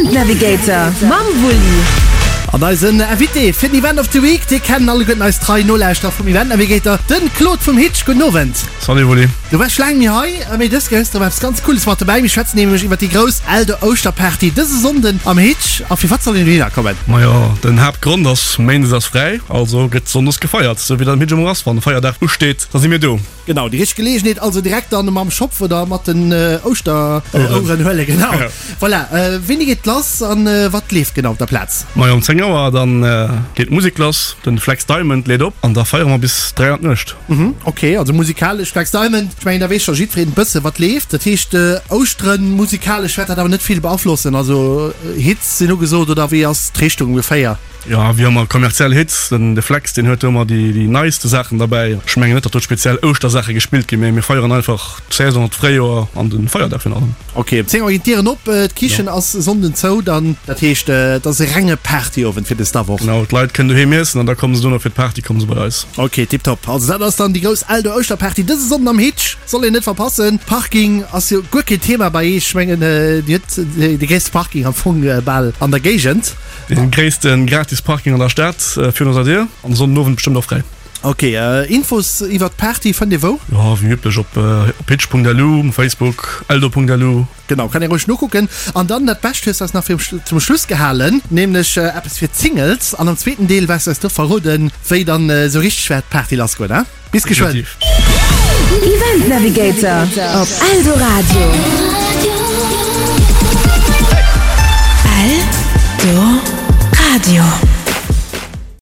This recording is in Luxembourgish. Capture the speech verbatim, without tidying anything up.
Event Navigator mam Wulli. An eisen Invité fir den Event of the Week, dee kennen alleguerten eis trei Nolauschterer vum Event Navigator, den Claude vum Hitch. Gudden Owend. Salut Wulli. Du waars laang méi hei, mee dës Kéier hues de erëm eppes ganz Cooles mat dobäi. Mir schwätzen nämlech iwwer déi grouss Eldo Ouschterparty dëse Sonnden am Hitch. A firwat soll een dohinner kommen? Majo, den Haaptgrond ass, Méindes ass fräi, also gëtt Sonndes gefeiert, sou wéi dat am Hitch ëmmer ass. Wann e Feierdag usteet, da si mir do. Genau, déi richteg Geleegenheet also direkt dann mam Schopf oder mat den Ouschteroueren huelen. Genau. Voilà, wéini geet lass an wat leeft genau op der Plaz? Majo, um zéng Auer dann geet d'Musek lass, den Flex Diamond leet op an da feiere mer bis dräi an d'Nuecht. Mhm, ok, also musikalesch Flex Diamond, ech mengen da weess scho jiddwereen e bësse wat leeft. Dat heescht Ouschteren musikalesch wäert dat awer net vill beaflossen, also Hits sinn ugesot oder wéi ass d'Richtung ongeféier? Jo, wéi ëmmer kommerziell Hits. Den de Flex, deen huet do ëmmer déi déi neiste Saachen derbäi. Ech mengen net, datt do speziell Ouschtersaache gespillt ginn, mee mir feieren einfach d'Saison, d'Fréijoer an de Feierdag virun allem. Ok, um zéng Auer ginn d'Dieren op, d'Kichen ass e Sonnden zou dann. Dat heescht, et ass e renge Partyowend fir des der Woch. Genau, d'Leit kënnen doheem iessen an da komme se dono fir d'Party komme se bei eis. Ok, tiptop. Also dat ass dann déi grouss Eldo Ouschterparty dëse Sonnden am Hitch. Soll een net verpassen. Parking ass jo guer keen Thema bei eech. Ech mengen, Dir hutt de gréisste Parking am Fong bal an der Géigend. Dee gréisste gratis Parking an der Stad virun eiser Dier an Sonnenowend bestëmmt och fräi. Ok, Infos iwwert d'Party fënnt ee wou? Jo, wéi üblech op hitch.lu, um Facebook, eldo.lu. Genau, kann ee roueg nokucken. An dann dat Bescht hues du eis nach fir zum Schluss gehalen, nämlech eppes fir d'Singles. An am zweeten Deel waers du eis do verroden, wéi dann esou richteg wäert d'Party lassgoen, he? Bis geschwënn! Event Navigator op Eldoradio. Eldoradio.